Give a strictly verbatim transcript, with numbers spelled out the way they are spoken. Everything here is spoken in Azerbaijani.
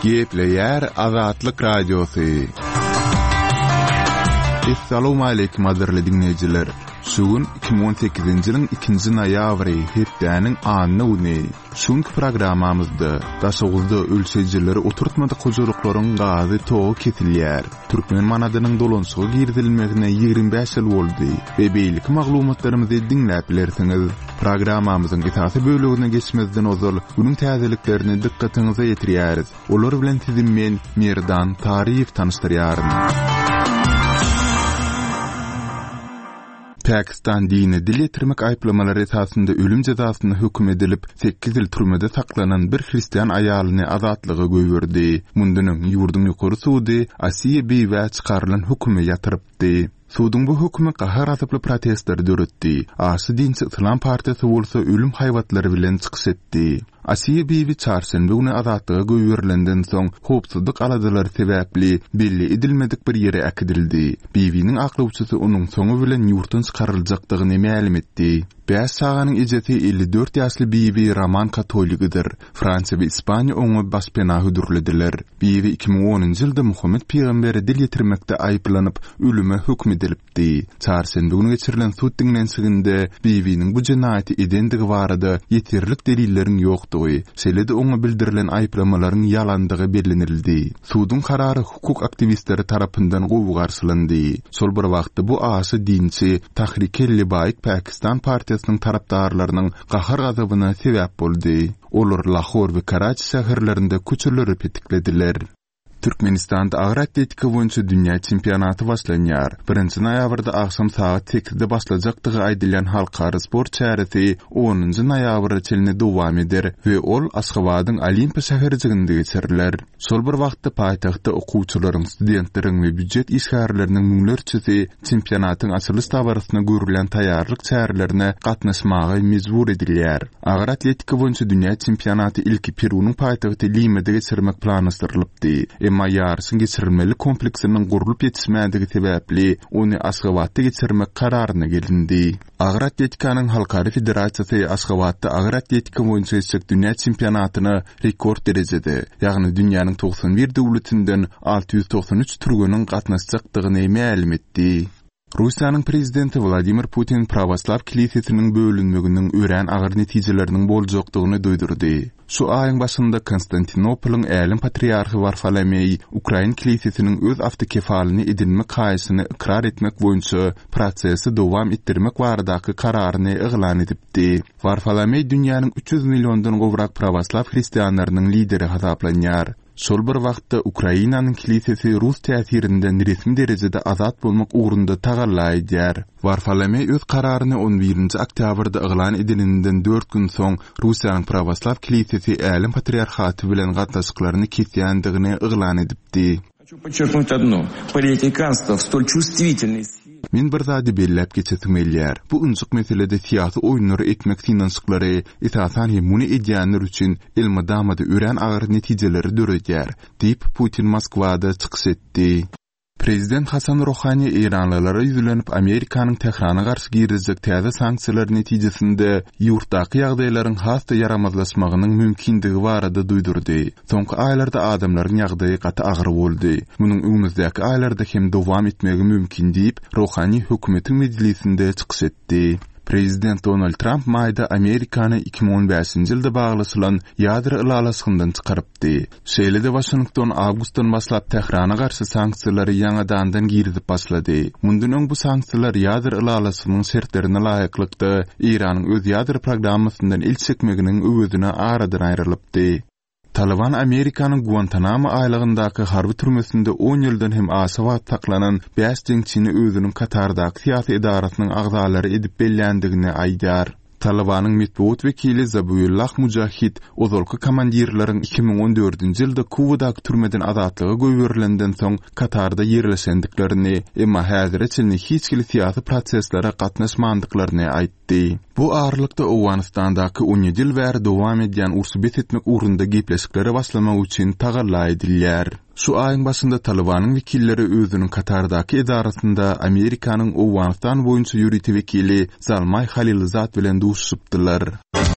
Gepleyer Azatlyk Radiosu. Assalamu alaykum azarly dinleyijiler. Şugun iki bin on sekizinji ýylyň ikinji noýabry hepdäniň anyny uny. Şuňky programmamyzda daşagylda ölçejileri oturtmady gojalyklaryň gazy togy kesilýär. Türkmen manadynyň dolanşygy girdilmegine ýygrimi beş ýyl boldy. We beýlik maglumatlarymyzy dinläp bilersiňiz. Programmamyzyň esasy bölügine geçmezden ozal bunyň täzeliklerini dikkatiňize ýetirýäris. Olar bilen sizin men Merdan Taryýew tanışdyrýarym. Pakistan dini dil getirmek ayıplamalary esasında ölüm jazasyna hökm edilip sekiz ýyl türmede saklanan bir hristiýan aýalyny azatlyga göýberdi. Mundunyň ýurdun ýokary sudy Asiýe beýwe çykarylan hökmi ýatyrypdy. Suudun bu hökmi qahar atyply protestler döretdi. Asy dinçi Islam partiýasy bolsa ölüm haýwatlary bilen çykyş etdi. Asiýe beýwi çarşamba güni azatlyga göýberilenden soň howpsuzlyk aladylary sebäpli belli edilmedik bir ýere äkidildi. Beýwiniň aklawçysy onuň soňu bilen ýurtdan çykaryljakdygyny ma'lum etdi. beş saganyň ejeti elli dört ýaşly beýwi Roman katoligidir. Fransiýa we Ispaniýa oňa başpena hödürlediler. Beýwi iki bin onunjy ýylda Muhammed peýgamberi dil ýetirmekde aýplanyp ölüme hökm edilipdi. Çarşamba güni geçirilen suud dinlensiginde beýwiniň bu jenaýaty edendigi barada ýetirlik delillerin ýokdugy, selede oňa bildirilen aýplamalaryň ýalandygy bellenildi. Suudun karary hukuk aktivistleri tarapyndan gowy garşylandy. Sol bir wagtda bu asy dinçi Tahrik-e-Libayk Pakistan partiýasynyň tarapdarlarynyň gahar gazabyna sebäp boldy. Olar Lahor we Karachi şäherlerinde köçürleri petiklediler. Türkmenistanda agyr atletika boýunça dünýä çempionaty başlanýar. birinji noýabrda akşam saat sekizde başlajakdygy aýdylan halkara sport çäretigi onunjy noýabra çelini dowam eder we ol Aşgabatyň Olimpiya şäherjiginde geçiriler. Şol bir wagtda paýtagtda okuwçylaryň, studentleriň we büdjet işgärleriniň müňlerçesi çempionatyň açylış tabaryna görülen taýýarlyk çärelerine gatnaşmagy mejbur edilýär. Agyr atletika boýunça dünýä çempionaty ilki Perunyň paýtagty Lima'da geçirmek planlaşdyrylypdy. Emma ýarşyň geçirilmeli kompleksiniň gurulyp ýetişmädigi sebäpli ony Aşgabatda geçirmek kararyna gelindi. Agyr atletikanyň halkary federasiýasy Aşgabatda agyr atletika boýunça geçecek dünýä çempionatyny rekord derejede, ýagny dünýäniň doksan bir döwletinden alty ýüz doksan üç türgünün gatnaşjakdygyny ma'lum etdi. Russiýanyň prezidenti Vladimir Putin Pravoslav kilisiýasynyň bölünmeginiň ören agyr netijeleriniň boljakdygyny duýdurdy. Şu aýyň başynda Konstantinopolyň älim patriarhy Varfolomey Ukraina kilisiýasynyň öz awtokefalyny edinmek haýysyny ikrar etmek boýunça prosesi dowam etdirmek baradaky kararyny eglan edipdi. Varfolomey dünýäniň üç ýüz milliondan gowrak pravoslav hristiýanlarynyň lideri hasaplanýar. Şol bir wagtda Ukrainanyň kilisiýasy Rus täsirinden resmi derejede azat bolmak ugrunda tagallaýar. Varfolomey öz kararyny on birinji oktýabrda eglan edilenden dört gün soň Russiýanyň pravoslav kilisiýasy älim patriarhaty bilen gatnaşyklaryny kesýändigini eglan edipdi. Men bir zady belläp geçetmeliýär. Bu ünçük meselede siýasy oýunlary etmek finansyklary esasan hem muny edýänler üçin elmadamada ören agyr netijeleri döredýär, diýip Putin Moskwada çykyş etdi. Prezident Hasan Rohani Iranlylara ýüzlenip Amerikanyň Tehrana garşy girizjek täze sanksiýalar netijesinde ýurtdaky ýagdaýlaryň hasta yaramazlaşmagynyň mümkindigi barada duýdurdy. Soňky aýlarda adamlaryň ýagdaýy gaty agyr boldy. Munyň öňümüzdäki aýlarda hem dowam etmegi mümkin diýip Rohani hökümetiň meclisinde çykyş etdi. Prezident Donald Trump maýda Amerikany iki bin on beşinji ýylda baglasylan ýadro ilalasyndan çykarypdy. Şeýlede Washington awgustdan başlap Tehrana garşy sanksiýalary ýangadan girizip başlady. Mundan bu sanksiýalar ýadro ilalasynyň şertlerine laýyklykda Iranyň öz ýadro programmasyndan il çekmeginiň öwüdüne aradan aýrylypdy. Taliban Amerikanyň Guantanamo aýlygyndaky harby türmesinde on ýyldan hem aşawa taklanan beş jeňçini özüniň Katardaky syýasy idarasynyň agzalary edip bellendigini aýdar. Talibanyň metbuat wekili Zabihullah Mujahid ozalky komandirleriň iki bin on dördünji ýylda Kubadaky türmeden azatlyga göýberilenden soň Katarda ýerleşendiklerini, emma häzirçe hiç kili syýasy proseslere gatnaşmandyklaryny aýtdy. Bu arlykda Awganistandaky on ýedi ýyl bäri dowam edýän ursy betetmek ugrunda gepleşikleri başlamak üçin tagalla edilýär. Şu aýyň başynda Talibanyň wekilleri özüniň Katardaky edarasynda Amerikanyň Awganistan boýunça ýürüti wekili Zalmay Halilzat bilen duşupdylar.